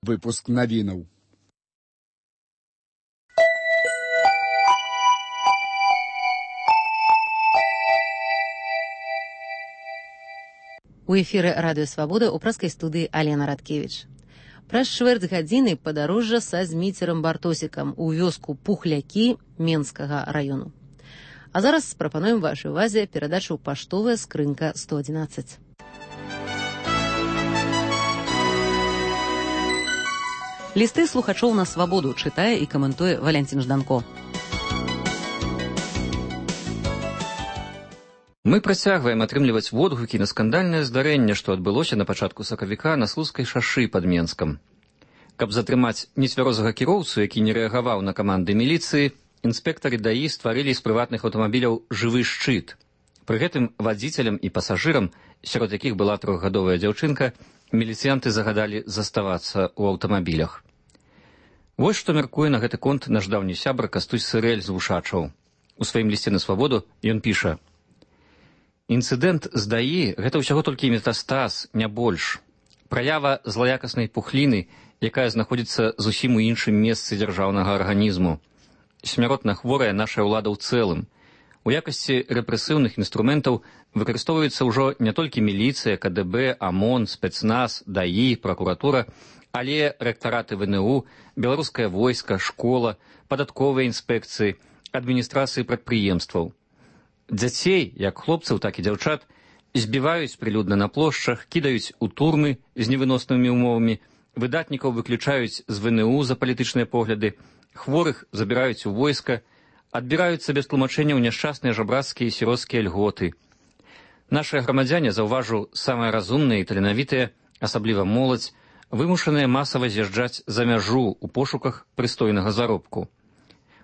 выпуск навінаў. У эфіры радыё «Свабода» у праскай студыі Алена Радкевіч. Праз чвэрць гадзіны падарожжа са Зміцерам Бартосікам у вёску Пухлякі Менскага раёну. А зараз прапануем вашай увазе перадачу «Паштовая скрынка 111». Лісты слухачоў на «Свабоду» чытае і каментуе Валянцін Жданко. Мы працягваем атрымліваць водгукі на скандальнае здарэнне, што адбылося на пачатку сакавіка на Слуцкай шашы пад Менскам. Каб затрымаць нецвярозага кіроўцу, які не рэагаваў на каманды міліцыі, інспектары ДАІ стварылі з прыватных аўтамабіляў жывы шчыт. Пры гэтым вадзіцелям і пасажырам, сярод якіх была 3гадовая дзяўчынка, міліцыянты загадалі заставацца ў аўтамабілях. Вось што мяркуе на гэты конт наш даўні сябар Кастусь Сырэль з Вушачаў. У сваім лісце на «Свабоду» ён піша: «Інцыдэнт з ДАІ – гэта ўсяго толькі метастаз, не больш. Праява злаякаснай пухліны, якая знаходзіцца зусім у іншым месцы дзяржаўнага арганізму. Смяротна хворая наша ўлада ў цэлым. У якасці рэпрэсіўных інструментаў выкарыстоўваецца ўжо не толькі міліцыя, КДБ, АМОН, спецназ, ДАІ, пракуратура, але рэктараты ВНУ, беларускае войска, школа, падатковыя інспекцыі, адміністрацыі прадпрыемстваў. Дзяцей, як хлопцаў, так і дзяўчат, збіваюць прылюдна на плошчах, кідаюць у турмы з невыноснымі ўмовамі, выдатнікаў выключаюць з ВНУ за палітычныя погляды, хворых забіраюць у войска, адбіраюцца без тлумачэнняў няшчасныя жабрацкія і сіроцкія льготы. Нашыя грамадзяне, заўважу, самыя разумныя і таленавітыя, асабліва моладзь, вымушаныя масава з'язджаць за мяжу ў пошуках прыстойнага заробку.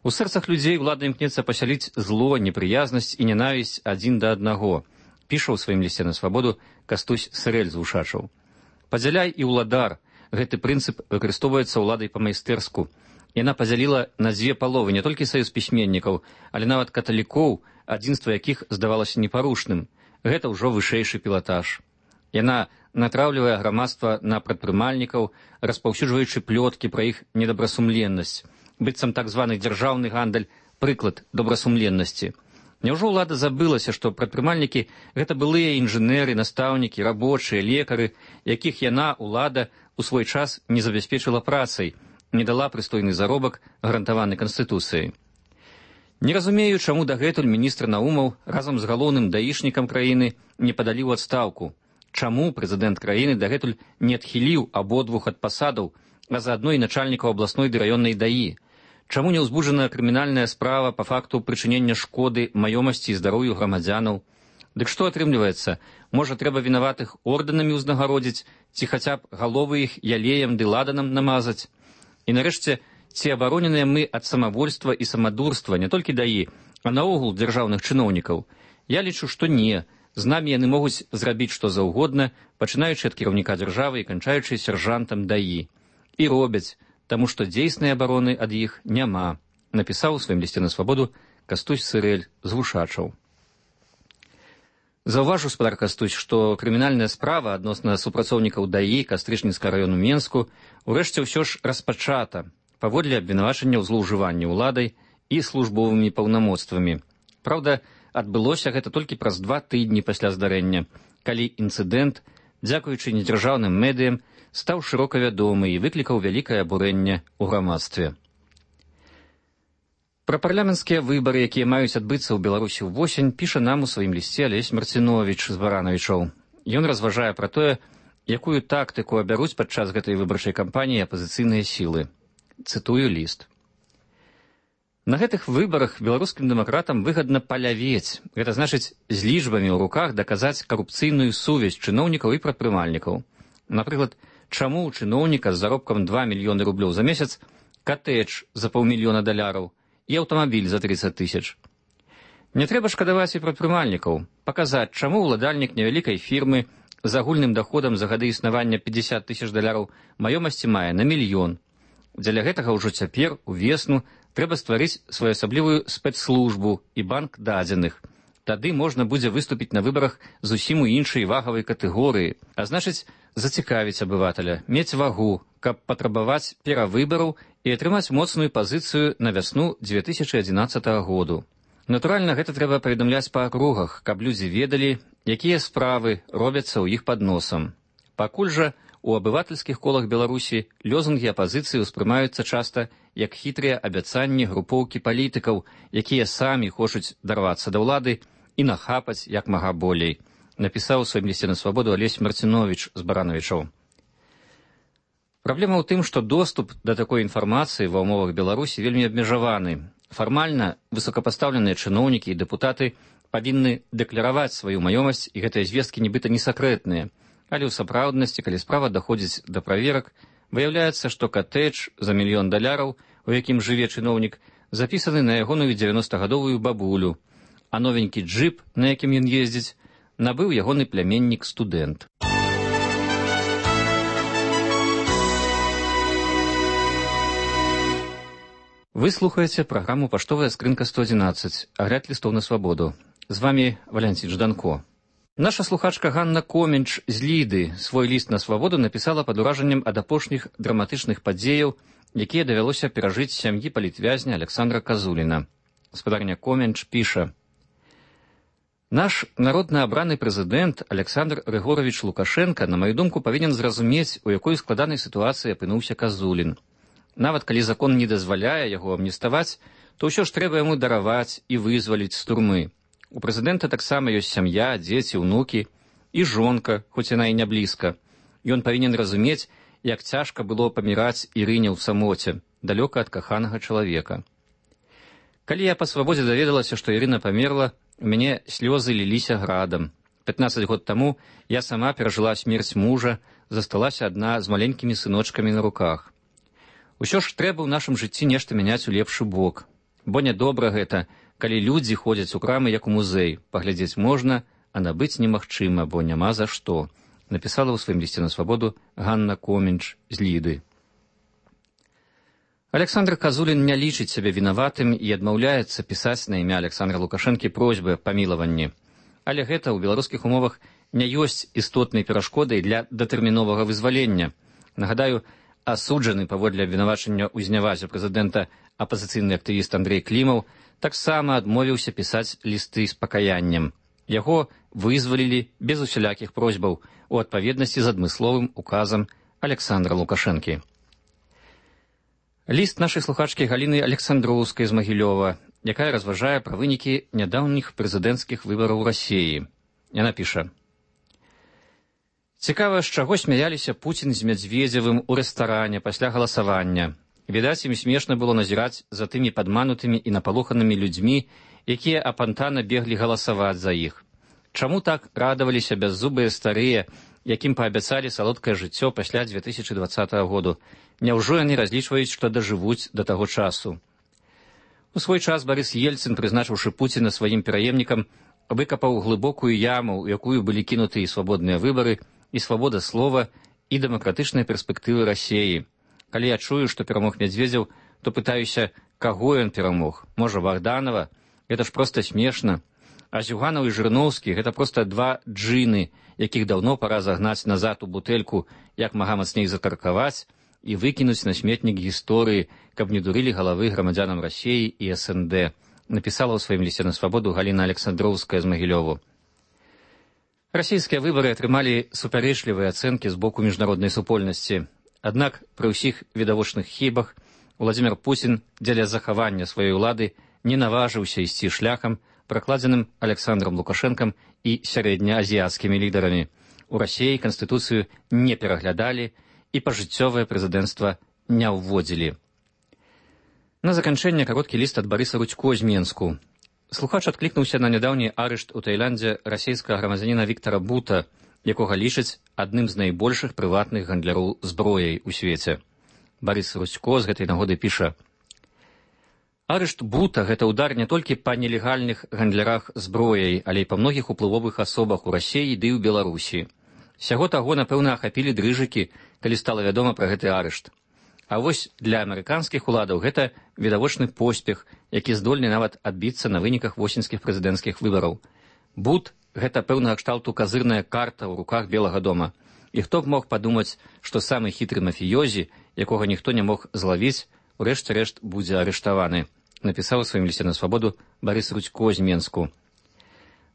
У сэрцах людзей ўлада імкнецца пасяліць зло, непрыязнасць і нянавісць адзін да аднаго, піша ў сваім лісце на «Свабоду» Кастусь Сырэль з Вушачаў. Падзяляй і ўладар. Гэты прынцып выкарыстоўваецца ўладай па-майстэрску. Яна падзяліла на дзве паловы не толькі саюз пісьменнікаў, але нават каталікоў, адзінства якіх здавалася непарушным. Гэта ўжо вышэйшы пілатаж. Яна натраўлівае грамадства на прадпрымальнікаў, распаўсюджваючы плёткі пра іх недабрасумленнасць. Быццам так званы дзяржаўны гандаль – прыклад добрасумленнасці. Няўжо ўлада забылася, што прадпрымальнікі – гэта былыя інжынеры, настаўнікі, рабочыя, лекары, якіх яна, ўлада, у свой час не забяспечыла працай, не дала прыстойны заробак, гарантаваны Канстытуцыяй. Не разумею, чаму дагэтуль міністр Наумаў разам з галоўным даішнікам краіны не падалі ў адстаўку. Чаму прэзідэнт краіны дагэтуль не адхіліў абодвух ад пасадаў, а заадно і начальнікаў абласной ды раённай ДАІ? Чаму не ўзбуджана крымінальная справа па факту прычынення шкоды маёмасці і здароўю грамадзянаў? Дык што атрымліваецца? Можа, трэба вінаватых ордэнамі ўзнагародзіць, ці хаця б галовы іх ялеем ды ладанам намазаць? І нарэшце, ці абароненыя мы ад самавольства і самадурства не толькі ДАІ, а наогул дзяржаўных чыноўнікаў? Я лічу, што не. З намі яны могуць зрабіць што заўгодна, пачынаючы ад кіраўніка дзяржавы і канчаючы сяржантам ДАІ. І робяць, таму што дзейснай абароны ад іх няма, напісаў у сваім лісце на «Свабоду» Кастусь Сырэль з Вушачаў. Заўважу, спадар Кастусь, што крымінальная справа адносна супрацоўнікаў ДАІ Кастрычніцкага раёну Менску урэшце ўсё ж распачата паводле абвінавачання ў злоўжыванні ўладай і службовымі паўнамоцтвамі. Праўда, адбылося гэта толькі праз 2 тыдні пасля здарэння, калі інцыдэнт, дзякуючы недзяржаўным медыям, стаў шырока вядомы і выклікаў вялікае абурэнне ў грамадстве. Пра парламенцкія выбары, якія маюць адбыцца ў Беларусі ўвосень, піша нам у сваім лісце Алесь Марціновіч з Баранавічоў. Ён разважае пра тое, якую тактыку абяруць падчас гэтай выбарчай кампаніі апазіцыйныя сілы. Цытую ліст. На гэтых выбарах беларускім дэмакратам выгадна палявець, гэта значыць з лічбамі ў руках даказаць карупцыйную сувязь чыноўнікаў і прадпрымальнікаў. Напрыклад, чаму ў чыноўніка з заробкам 2 мільёны рублёў за месяц катэдж за $500 000 і аўтамабіль за 30 000. Не трэба шкадаваць і прадпрымальнікаў, паказаць, чаму ўладальнік невялікай фірмы з агульным даходам за гады існавання $50 000 маёмасці мае на 1 мільён. Дзеля гэтага ўжо цяпер, увесну, трэба стварыць своеасаблівую спецслужбу і банк дадзеных. Тады можна будзе выступіць на выбарах зусім у іншай вагавай катэгорыі, а значыць, зацікавіць абывателя, мець вагу, каб патрабаваць перавыбараў і атрымаць моцную пазіцыю на вясну 2011 году. Натуральна, гэта трэба паведамляць па акругах, каб людзі ведалі, якія справы робяцца ў іх пад носам. Пакуль жа у абывательскіх колах Беларусі лёзунгі апазіцыі ўспрымаюцца часта як хітрыя абяцанні групоўкі палітыкаў, якія самі хочуць дарвацца да ўлады і нахапаць як мага болей, напісаў у сваім лісце на свабоду Алесь Марціновіч з Баранавічаў. Праблема ў тым, што доступ да такой інфармацыі ва ўмовах Беларусі вельмі абмежаваны. Фармальна высокапастаўленыя чыноўнікі і дэпутаты павінны дэклараваць сваю маёмасць, і гэтыя звесткі нібыта не сакрэтныя. Але ў сапраўднасці, калі справа даходзіць да праверак, выяўляецца, што катэдж за $1 мільён, у якім жыве чыноўнік, запісаны на ягоную 90-гадовую бабулю, а новенькі джып, на якім ён ездзіць, набыў ягоны пляменнік-студэнт. Вы слухаеце праграму «Паштовая скрынка 111», агляд лістоў на свабоду. З вами Валянцін Жданко. Наша слухачка Ганна Коменч з Ліды свой ліст на свабоду напісала пад уражаннем ад апошніх драматычных падзеяў, якія давялося перажыць сям'і палітвязня Александра Казуліна. Гаспадарня Коменч піша: «Наш народна абраны прэзідэнт Александр Григорович Лукашенко, на маю думку, павінен зразумець, у якой складанай сітуацыі апынуўся Казулін. Нават калі закон не дазваляе яго амніставаць, то ўсё ж трэба яму дараваць і вызваліць з турмы. У прэзідэнта таксама ёсць сям'я, дзеці, унукі і жонка, хоць яна і не блізка. Ён павінен разумець, як цяжка было паміраць Ірыне ў самоце, далёка ад каханага чалавека. Калі я па свабодзе даведалася, што Ірына памерла, у мяне слёзы ліліся градам. 15 год таму я сама перажыла смерць мужа, засталася адна з маленькімі сыночкамі на руках. Усё ж трэба ў нашым жыцці нешта мяняць у лепшы бок. Бо нядобра гэта, калі людзі ходзяць у крамы як у музей. Паглядзець можна, а набыць немагчыма, бо няма за што, напісала ў сваім лісце на свабоду Ганна Коменч з Ліды. Александр Казулін не лічыць сябе вінаватым і адмаўляецца пісаць на імя Александра Лукашэнкі просьбы аб памілаванні. Але гэта ў беларускіх умовах не ёсць істотнай перашкодай для датэрміновага вызвалення. Нагадаю, асуджаны паводле абвінавачання ў знявазе прэзідэнта апазіцыйны актывіст Андрэй Клімаў таксама адмовіўся пісаць лісты з пакаяннем. Яго вызвалілі без усялякіх просьбаў у адпаведнасці з адмысловым указам Александра Лукашэнкі. Ліст нашай слухачкі Галіны Александроўскай з Магілёва, якая разважае пра вынікі нядаўніх прэзідэнцкіх выбараў у Расіі. Яна піша: «Цікава, з чаго смяяліся Пуцін з Мядзведзевым у рэстаране пасля галасавання. Відаць, ім смешна было назіраць за тымі падманутымі і напалоханымі людзьмі, якія апантана беглі галасаваць за іх. Чаму так радаваліся бяззубыя старыя, якім паабяцалі салодкае жыццё пасля 2020 году? Няўжо яны разлічваюць, што дажывуць да таго часу?» У свой час Барыс Ельцын, прызначыўшы Пуціна сваім пераемнікам, выкапаў глыбокую яму, у якую былі кінуты і свабодныя выбары, і свабода слова, і дэмакратычныя перспектывы Расіі. Калі я чую, што перамог Мядзведзеў, то пытаюся, каго ён перамог? Можа, Богданова? Гэта ж проста смешна. А Зюганаў і Жырноўскі — гэта проста два джыны, якіх даўно пара загнаць назад у бутэльку, як мага мацней закаркаваць і выкінуць на сметнік гісторыі, каб не дурылі галавы грамадзянам Расіі і СНД, напісала ў сваім лісце на свабоду Галіна Александроўская з Магілёву. Расійскія выбары атрымалі супярэчлівыя ацэнкі з боку міжнароднай супольнасці. Аднак пры ўсіх відавочных хібах Владзімір Пуцін дзеля захавання сваёй улады не наважыўся ісці шляхам, пракладзеным Александром Лукашэнкам і сярэднеазіяцкімі лідарамі. У Расіі канстытуцыю не пераглядалі і пажыццёвае прэзідэнцтва не ўводзілі. На заканчэнне кароткі ліст ад Барыса Рудзько з Менску. Слухач адклікнуўся на нядаўні арышт у Таіландзе расійскага грамадзяніна Віктара Бута, якога лічаць адным з найбольшых прыватных гандляроў зброяй у свеце. Барыс Рудзько з гэтай нагоды піша: «Арышт Бута — гэта ўдар не толькі па нелегальных гандлярах зброяй, але і па многіх уплывовых асобах у Расіі ды ў Беларусі. Сяго таго, напэўна, ахапілі дрыжыкі, калі стала вядома пра гэты арышт. А вось для амерыканскіх уладаў гэта відавочны поспех, які здольны нават адбіцца на выніках восеньскіх прэзідэнцкіх выбараў. Бут — гэта пэўнага кшталту казырная карта ў руках Белага дома. І хто б мог падумаць, што самы хітры мафіёзі, якога ніхто не мог злавіць, у рэшце-рэшт будзе арыштаваны, напісаў у сваім лісце на свабоду Барыс Рудзько з Менску.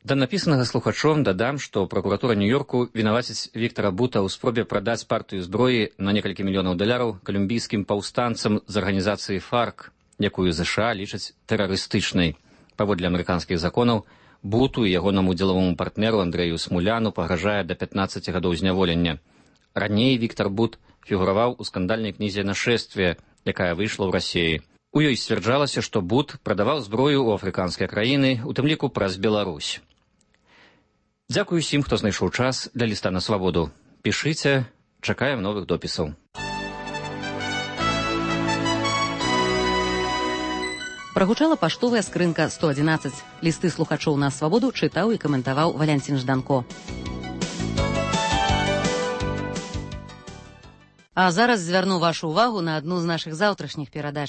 Да напісанага слухачом дадам, што пракуратура Нью-Йорку вінаваціць Віктара Бута ў спробе прадаць партыю зброі на некалькі мільёнаў даляраў калумбійскім паўстанцам з арганізацыі ФАРК, якую ЗША лічаць тэрарыстычнай. Паводле амерыканскіх законаў, Буту і ягонаму дзелавому партнеру Андрэю Смуляну пагражае да 15 гадоў зняволення. Раней Віктар Бут фігураваў у скандальнай кнізе «Нашествие», якая выйшла ў Расіі. У ёй сцвярджалася, што Бут прадаваў зброю ў афрыканскія краіны, у тым ліку праз Беларусь. Дзякую усім, хто знайшоў час для ліста на свабоду. Пішыце, чакаем новых допісаў. Прагучала паштовая скрынка 111. Лісты слухачоў на свабоду чытаў і каментаваў Валянцін Жданко. А зараз звярну вашу ўвагу на адну з нашых заўтрашніх перадач.